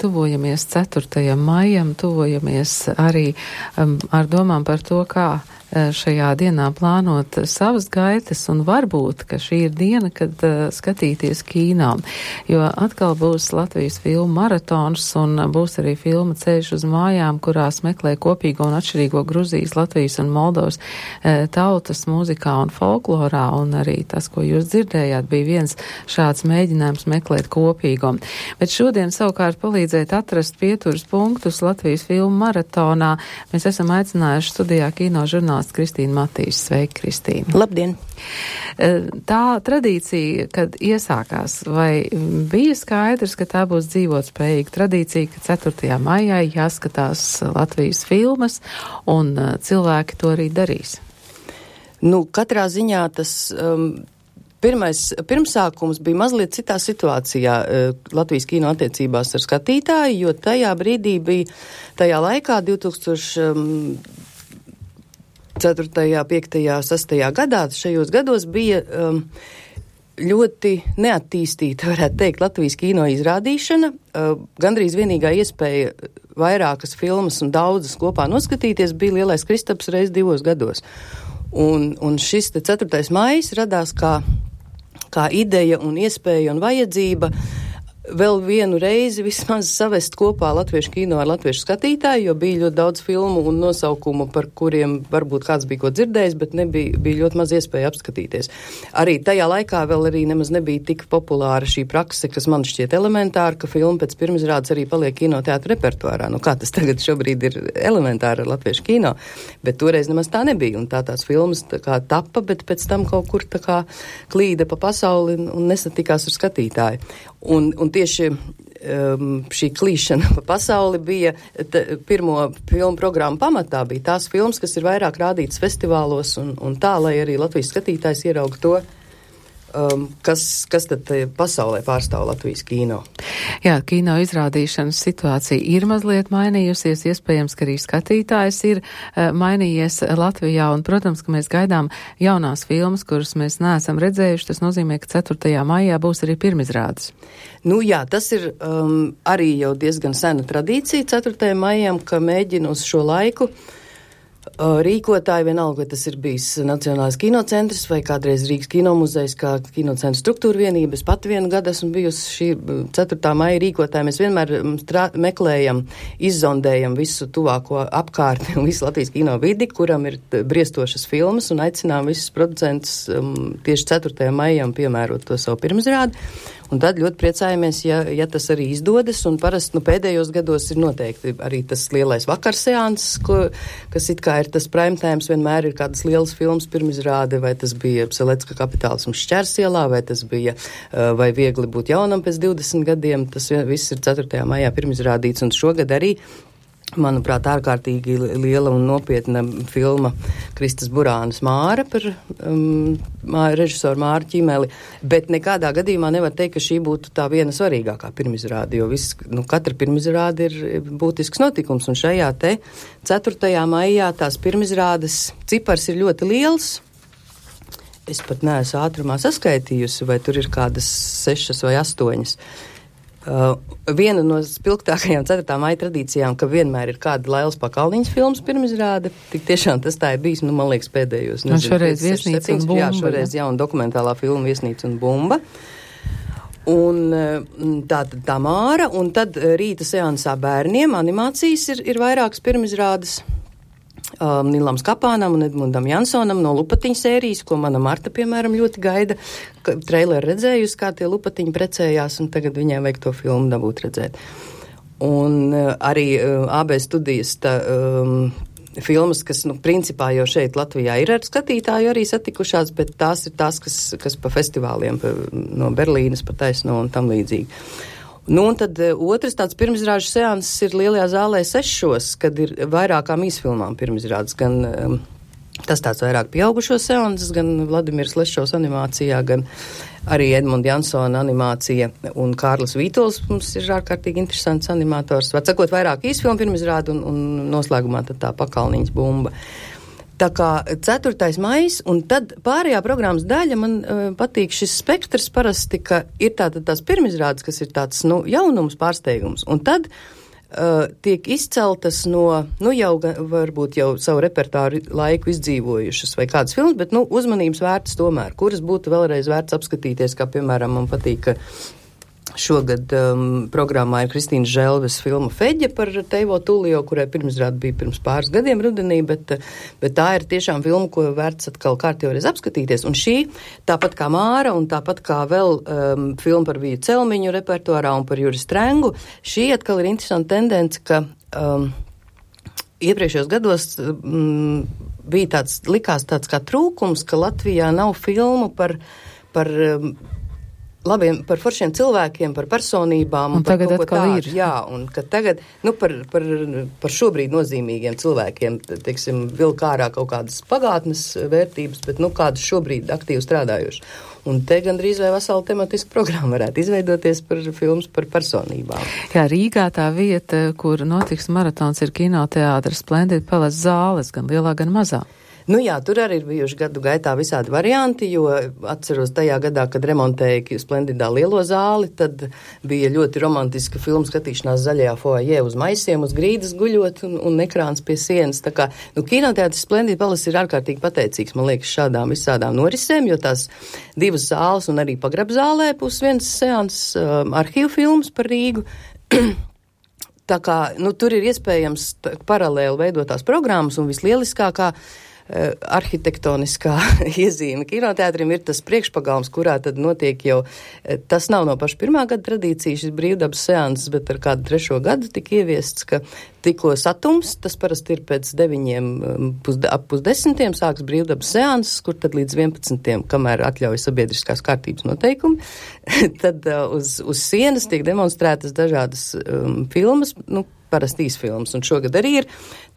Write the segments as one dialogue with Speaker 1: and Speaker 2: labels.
Speaker 1: tuvojamies 4. maijam, tuvojamies arī ar domām par to, kā šajā dienā plānot savas gaitas, un varbūt, ka šī ir diena, kad skatīties kīnā, jo atkal būs Latvijas filmu maratons un būs arī filma Ceļš uz mājām, kurās meklē kopīgo un atšķirīgo Gruzijas, Latvijas un Moldovas tautas mūzikā un folklorā, un arī tas, ko jūs dzirdējāt, bija viens šāds mēģinājums meklēt kopīgo. Bet šodien savukārt palīdzēt atrast pieturas punktus Latvijas filmu maratonā mēs esam aicinājuši studijā kino žurnālistu Kristīnu Matīšu. Sveiki, Kristīna.
Speaker 2: Labdien!
Speaker 1: Tā tradīcija, kad iesākās, vai bija skaidrs, ka tā būs dzīvotspējīga tradīcija, ka 4. maijā jāskatās Latvijas filmas, un cilvēki to arī darīs?
Speaker 2: Nu, katrā ziņā tas pirmsākums bija mazliet citā situācijā Latvijas kino attiecībās ar skatītāju, jo tajā brīdī bija, tajā laikā 2004., 5., 6. gadā, šajos gados bija ļoti neattīstīta, varētu teikt, Latvijas kino izrādīšana. Gandrīz vienīgā iespēja vairākas filmas un daudzas kopā noskatīties bija Lielais Kristaps reiz 2 gados. Un šis te 4. maijs radās kā ideja un iespēja un vajadzība vēl vienu reizi vismaz savest kopā latviešu kino ar latviešu skatītāju, jo bija ļoti daudz filmu un nosaukumu, par kuriem varbūt kāds bija ko dzirdējis, bet bija ļoti maz iespēja apskatīties. Arī tajā laikā vēl arī nemaz nebija tik populāra šī prakse, kas man šķiet elementāra, ka filma pēc pirmizrādes arī paliek kinoteātra repertuārā. Nu, kā tas tagad šobrīd ir elementāra ar latviešu kino, bet toreiz nemaz tā nebija. Un tās filmas tā kā tappa, bet pēc tam kaut kur tā kā klīda pa pasauli un nesatikās ar skatītāju. Un tieši šī klīšana pa pasauli bija pirmo filmu programmu pamatā, bija tās filmas, kas ir vairāk rādītas festivālos un tā, lai arī Latvijas skatītājs ierauga to, kas tad pasaulē pārstāv Latvijas kino.
Speaker 1: Jā, kino izrādīšanas situācija ir mazliet mainījusies, iespējams, ka arī skatītājs ir mainījies Latvijā, un, protams, ka mēs gaidām jaunās filmas, kuras mēs neesam redzējuši, tas nozīmē, ka 4. maijā būs arī pirmizrādes.
Speaker 2: Nu jā, tas ir arī jau diezgan sena tradīcija 4. maijam, ka mēģina uz šo laiku rīkotāji, vienalga, vai tas ir bijis Nacionālais kinocentrs vai kādreiz Rīgas kinomuzejs kā kinocentra struktūra vienība. Es pat vienu gadu esmu bijusi šī 4. maija rīkotāja. Mēs vienmēr meklējam, izzondējam visu tuvāko apkārtni un visu Latvijas kino vidi, kuram ir briestošas filmas, un aicinām visus producentus tieši 4. maijam piemērot to savu pirmizrādi. Un tad ļoti priecājamies, ja tas arī izdodas, un parasti pēdējos gados ir noteikti arī tas lielais vakarseans, kas it kā ir tas primetēms, vienmēr ir kādas lielas filmas pirmizrāde, vai tas bija Selecka kapitālisms Šķērsielā, vai tas bija vai viegli būt jaunam pēc 20 gadiem, tas viss ir 4. maijā pirmizrādīts, un šogad arī, manuprāt, ārkārtīgi liela un nopietna filma Kristas Burānas Māra par režisoru Māru Ķimeli, bet nekādā gadījumā nevar teikt, ka šī būtu tā viena svarīgākā pirmizrāde, jo katra pirmizrāde ir būtisks notikums, un šajā te 4. maijā tās pirmizrādes cipars ir ļoti liels. Es pat neesmu ātrumā saskaitījusi, vai tur ir kādas 6 vai 8. Viena no spilgtākajām 4. maija tradīcijām, ka vienmēr ir kāda Lailas Pakalniņas filmas pirmizrāde. Tik tiešām tas tā ir bijis, man liekas, pēdējos.
Speaker 1: Un šoreiz Viesnīca un bumba.
Speaker 2: Jā, šoreiz jauna dokumentālā filma Viesnīca un bumba. Un tā Māra, un tad rīta seansā bērniem animācijas ir vairākas pirmizrādes. Nilam Skapānam un Edmundam Jansonam no Lupatiņu sērijas, ko mana Marta, piemēram, ļoti gaida. Traileru redzējusi, kā tie Lupatiņi precējās, un tagad viņai vajag to filmu dabūt redzēt. Un arī AB studijas filmas, kas, principā jau šeit Latvijā ir ar skatītāju arī satikušās, bet tās ir tās, kas pa festivāliem no Berlīnas pa taisno un tam līdzīgi. Un tad otrs tāds pirmizrāžu seanss ir Lielajā zālē 6, kad ir vairākām īsfilmām pirmizrādes, gan tas tāds vairāk pieaugušo seanss, gan Vladimirs Lešovs animācijā, gan arī Edmunda Jansona animācija, un Kārlis Vītols mums ir ārkārtīgi interesants animators. Var sakot, vairāk īsfilmu pirmizrāde un noslēgumā tad tā Pakalniņas bumba. Tā kā 4. maijs, un tad pārējā programmas daļa man patīk šis spektrs parasti, ka ir tātad tās pirmizrādes, kas ir tāds, jaunums, pārsteigums, un tad tiek izceltas no, jau varbūt jau savu repertāru laiku izdzīvojušas vai kādas filmas, bet, uzmanības vērtas tomēr, kuras būtu vēlreiz vērts apskatīties, kā, piemēram, man patīk, ka šogad programmā ir Kristīnas Želves filma Feģe par Teivo Tulio, kurai pirmizrāde bija pirms pāris gadiem rudenī, bet tā ir tiešām filma, ko vērts atkal kārtīgi apskatīties. Un šī, tāpat kā Māra un tāpat kā vēl filma par Viju Celmiņu repertuārā un par Juri Strengu, šī atkal ir interesanta tendence, ka iepriekšējos gados bija likās tāds kā trūkums, ka Latvijā nav filmu par foršiem cilvēkiem, par personībām.
Speaker 1: Un tagad atkal ir.
Speaker 2: Jā, un ka tagad, par šobrīd nozīmīgiem cilvēkiem, teiksim, vilk ārā kaut kādas pagātnes vērtības, bet, kādas šobrīd aktīvi strādājuši. Un te gandrīz vai vesela tematiska programma varētu izveidoties par filmas par personībām.
Speaker 1: Jā, Rīgā tā vieta, kur notiks maratons, ir kinoteātris Splendid Palace zāles, gan lielā, gan mazā.
Speaker 2: Jā, tur arī ir bijuši gadu gaitā visādi varianti, jo atceros tajā gadā, kad remontēja Splendidā lielo zāli, tad bija ļoti romantiska filmu skatīšanās zaļajā foajē uz maisiem, uz grīdas guļot un ekrāns pie sienas. Tā kā, kinoteātris Splendid Palace ir ārkārtīgi pateicīgs, man liekas, šādām visādām norisēm, jo tās divas zāles un arī pagrabzālē būs viens seans arhīvu filmas par Rīgu. Tā kā, tur ir iespējams paralēli veidotās programmas un vislieliskākā arhitektoniskā iezīme kinoteātrim ir tas priekšpagalms, kurā tad notiek jau, tas nav no paša pirmā gada tradīcija, šis brīvdabas seanses, bet ar kādu 3. gadu tika ieviests, ka tikko satums, tas parasti ir pēc 9, ap 10 sāks brīvdabas seanses, kur tad līdz 11, kamēr atļauj sabiedriskās kārtības noteikumi, tad uz sienas tiek demonstrētas dažādas filmas, parasti īsfilmas, un šogad arī ir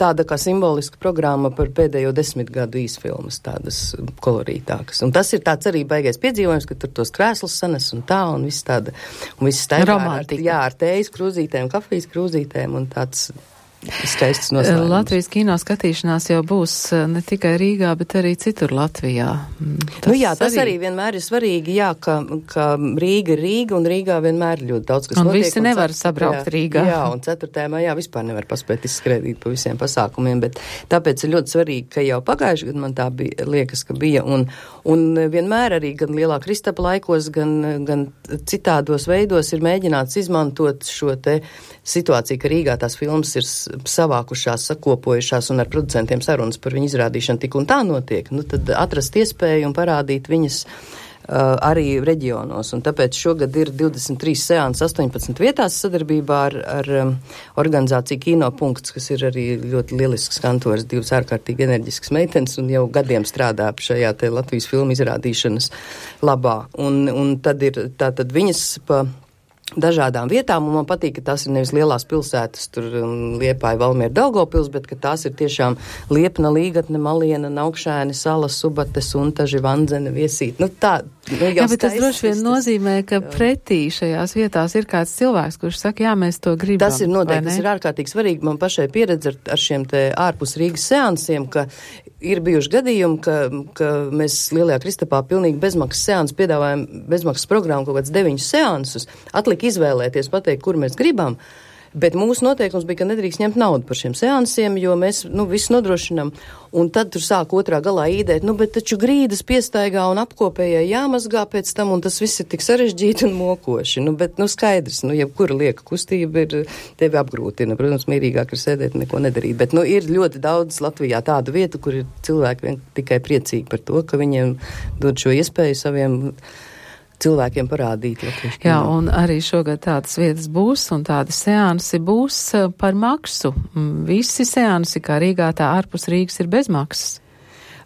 Speaker 2: tāda kā simboliska programma par pēdējo 10 gadu īsfilmas, tādas kolorītākas. Un tas ir tāds arī baigais piedzīvojums, ka tur tos krēslus sanes un tā, un viss tāda, un viss tā ar tējas krūzītēm, kafijas krūzītēm, un tāds skaists noslēgums.
Speaker 1: Latvijas kino skatīšanās jau būs ne tikai Rīgā, bet arī citur Latvijā.
Speaker 2: Tas arī vienmēr ir svarīgi, ka Rīga ir Rīga, un Rīgā vienmēr ļoti daudz, kas notiek.
Speaker 1: Un visi nevar sabraukt Rīgā.
Speaker 2: Jā, un 4. maijā vispār nevar paspēt izskrēdīt pa visiem pasākumiem, bet tāpēc ir ļoti svarīgi, ka jau pagājuši gadu man tā bija, liekas, ka bija, un vienmēr arī gan Lielā Kristapa laikos, gan citādos veidos ir mēģināts izmantot šo te situāciju, ka Rīgā tās filmas ir savākušās, sakopojušās un ar producentiem sarunas par viņu izrādīšanu tik un tā notiek, tad atrast iespēju un parādīt viņas arī reģionos. Un tāpēc šogad ir 23 seanses 18 vietās sadarbībā ar organizāciju Kinopunkts, kas ir arī ļoti lielisks kantors, divas ārkārtīgi enerģiskas meitenes un jau gadiem strādā šajā te Latvijas filmu izrādīšanas labā. Un tad ir tātad viņas pa dažādām vietām, un man patīk, ka tās ir nevis lielās pilsētas, tur Liepāja, Valmiera, Daugavpils, bet ka tās ir tiešām Liepna, Līgatne, Maliena, Naukšēni, Sala, Subate, Suntaži, Vandzene, Viesīt.
Speaker 1: Jā, bet tas droši vien nozīmē, ka pretī šajās vietās ir kāds cilvēks, kurš saka, jā, mēs to gribam.
Speaker 2: Tas ir noteikti, tas ir ārkārtīgi svarīgi. Man pašai pieredze ar šiem te ārpus Rīgas seansiem, ka ir bijuši gadījumi, ka mēs Lielajā Kristapā pilnīgi bezmaksas seansu piedāvājam, bezmaksas programmu kaut kāds 9 seansus, atlika izvēlēties, pateikt, kur mēs gribam, bet mūsu noteikums bija, ka nedrīkst ņemt naudu par šiem seansiem, jo mēs, visu nodrošinam, un tad tur sāk otrā galā īdēt, bet taču grīdas piestaigā un apkopējai jāmazgā pēc tam, un tas viss ir tik sarežģīti un mokoši, bet, skaidrs, jebkura lieka kustība ir tevi apgrūtina, protams, mierīgāk ir sēdēt un neko nedarīt, bet, ir ļoti daudz Latvijā tādu vietu, kur ir cilvēki tikai priecīgi par to, ka viņiem dod šo iespēju saviem cilvēkiem parādīt Latvijas kino.
Speaker 1: Jā, un arī šogad tādas vietas būs, un tādi seansi būs par maksu. Visi seansi, kā Rīgā, tā ārpus Rīgas, ir bez maksas.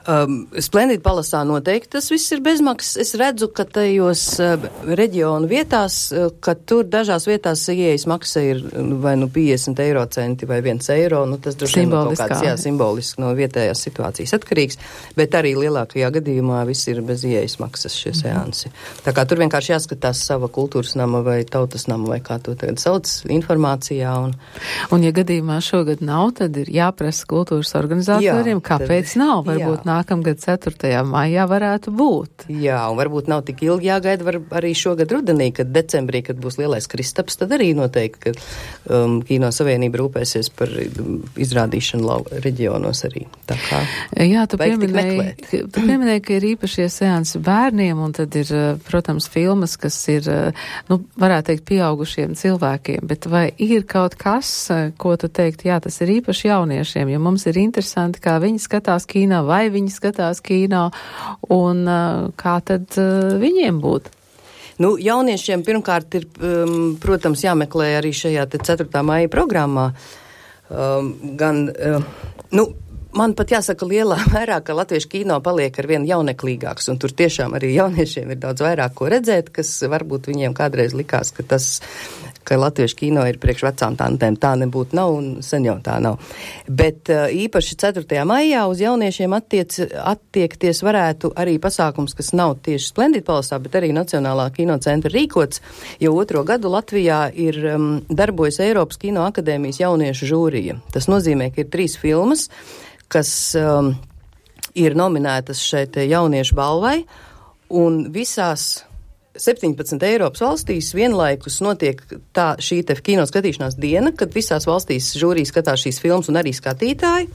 Speaker 2: Splendid Palasā noteikti tas viss ir bezmaksas. Es redzu, ka tajos reģionu vietās, ka tur dažās vietās ieejas maksa ir vai 50 eiro centi vai 1 eiro, tas droši vien kaut kāds, simboliski no vietējās situācijas atkarīgs, bet arī lielākajā gadījumā viss ir bez ieejas maksas šie seansi. Tā kā tur vienkārši jāskatās sava kultūras nama vai tautas nama vai kā to tagad sauc informācijā.
Speaker 1: Un ja gadījumā šogad nav, tad ir jāprasa kultūras organizatoriem, kāpēc nav, varbūt nākamgad 4. maijā varētu būt.
Speaker 2: Jā, un varbūt nav tik ilgi jāgaida, var arī šogad rudenī, kad decembrī, kad būs lielais Kristaps, tad arī noteikti, ka Kino Savienība rūpēsies par izrādīšanu reģionos arī. Tā kā
Speaker 1: jā, tu pieminēji, ka ir īpašie seansi bērniem, un tad ir, protams, filmas, kas ir, varētu teikt, pieaugušiem cilvēkiem, bet vai ir kaut kas, ko tu teikt, jā, tas ir īpaši jauniešiem, jo mums ir interesanti, kā viņi skatās kino, vai viņi skatās kino, un kā tad viņiem būt?
Speaker 2: Jauniešiem pirmkārt ir, protams, jāmeklē arī šajā 4. maija programmā. Man pat jāsaka lielā mērā, ka latviešu kino paliek ar vien jauneklīgāks, un tur tiešām arī jauniešiem ir daudz vairāk ko redzēt, kas varbūt viņiem kādreiz likās, ka latviešu kino ir priekš vecām tantēm. Tā nebūtu nav, un sen jau tā nav. Bet īpaši 4. maijā uz jauniešiem attiekties varētu arī pasākums, kas nav tieši Splendid Palasā, bet arī Nacionālā kinocentra rīkots, jo 2. gadu Latvijā ir darbojas Eiropas Kino akadēmijas jauniešu žūrija. Tas nozīmē, ka ir 3 filmas, kas ir nominētas šeit jauniešu balvai, un visās 17 Eiropas valstīs vienlaikus notiek šī kino skatīšanās diena, kad visās valstīs žūrija skatās šīs filmas un arī skatītāji.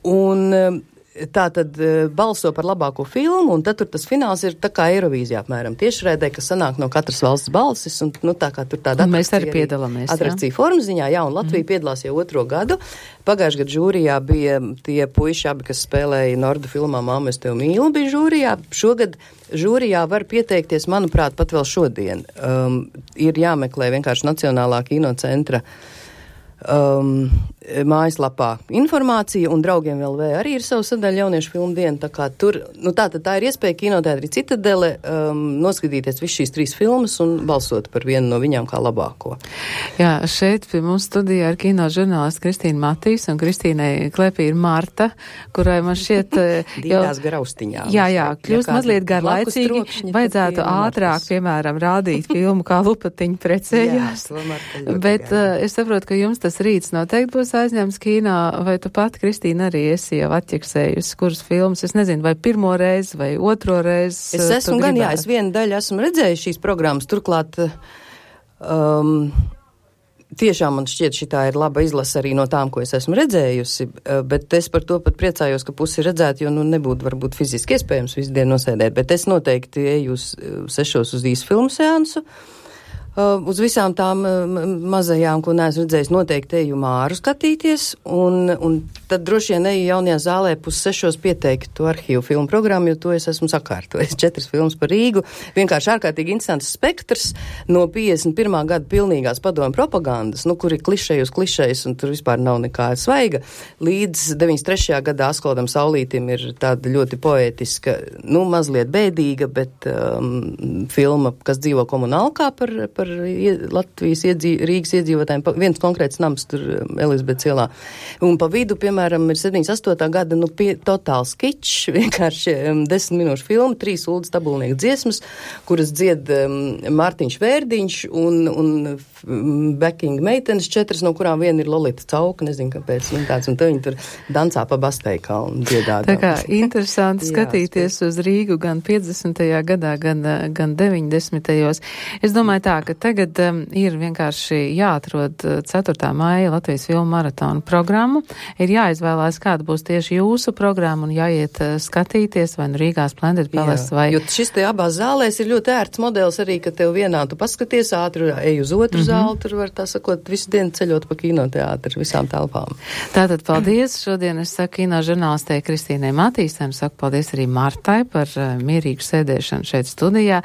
Speaker 2: Un tā tad balso par labāko filmu, un tad tur tas fināls ir tā kā Eirovīzijā apmēram tiešraidē, kas sanāk no katras valsts balsis, un tā kā tur tāda
Speaker 1: mēs arī piedalāmies.
Speaker 2: Atrakcija formas ziņā, jā, un Latvija piedalās jau 2. gadu. Pagājušajā gadā žūrijā bija tie puiši abi, kas spēlēja Nordu filmā Māmu, es tevi mīlu, bija žūrijā. Šogad žūrijā var pieteikties, manuprāt, pat vēl šodien. Ir jāmeklē vienkārši Nacionālā kinocentra mājaslapā informācija, un Draugiem LV arī ir savu sadaļu jauniešu filmu dienu, tā kā tur, tā ir iespēja Kinoteātrī Citadele noskatīties visu šīs 3 filmas un balsot par vienu no viņām kā labāko.
Speaker 1: Jā, šeit pie mums studijā ir kino žurnālists Kristīna Matīs, un Kristīnai klēpī ir Marta, kurai man šķiet
Speaker 2: Dītās garaustiņā.
Speaker 1: Jā, kļūst mazliet garlaicīgi, vajadzētu ātrāk, piemēram, rādīt filmu, kā lupatiņi precējās. Bet es saprotu, ka jums tas rīts noteikti būs aizņemts kino, vai tu pat, Kristīna, arī esi jau atķeksējusi, kuras filmas, es nezinu, vai 1. reizi, vai 2. reizi.
Speaker 2: Es esmu gan, jā, es vienu daļu esmu redzējusi šīs programmas, turklāt tiešām man šķiet šitā ir laba izlase arī no tām, ko es esmu redzējusi, bet es par to pat priecājos, ka pusi redzēt, jo nebūtu varbūt fiziski iespējams visu dienu nosēdēt, bet es noteikti eju uz 6 uz īsu filmu seansu. Uz visām tām mazajām, ko neesmu redzējis, noteikti eju Māru skatīties, un tad droši vien eju jaunajā zālē 5:30 pieteikt to arhīvu filmu programmu, jo to es esmu sakārtojis. 4 filmas par Rīgu, vienkārši ārkārtīgi interesants spektrs no 51. gada pilnīgās padomju propagandas, kur ir klišeji uz klišejas, un tur vispār nav nekā svaiga, līdz 93. gadā Askoldam Saulītim ir tāda ļoti poētiska, mazliet bēdīga, bet filma, kas dzīvo komunālkā par Latvijas Rīgas iedzīvotājiem, viens konkrēts nams tur Elizabetes ielā. Un pa vidu, piemēram, ir 78. gada, totāls kičs, vienkārši 10 minūšu filma, 3 Uldas Tabulnieku dziesmas, kuras dzied Mārtiņš Vērdiņš un backing meitenes 4, no kurām viena ir Lolita Cauka, nezinu, kāpēc viņa tāds, un viņi tur dancā pa Basteikā un dziedādā.
Speaker 1: Tā kā interesanti skatīties uz Rīgu gan 50. gadā, gan 90. Es domāju tā, ka tagad ir vienkārši jāatrod 4. maija Latvijas filmu maratonu programmu. Ir jāizvēlās, kāda būs tieši jūsu programma un jāiet skatīties vai Rīgā Splendid Palace vai...
Speaker 2: Jo šis te abās zālēs ir ļoti ērts modelis arī, ka tev vienā tu paskaties ātri, ej uz otru zāli, tur var tā sakot visu dienu ceļot pa kinoteātri visām telpām.
Speaker 1: Tātad paldies. Šodien es saku kino žurnālistei Kristīnai Matīsai un saku paldies arī Martai par mierīgu sēdēšanu šeit studijā.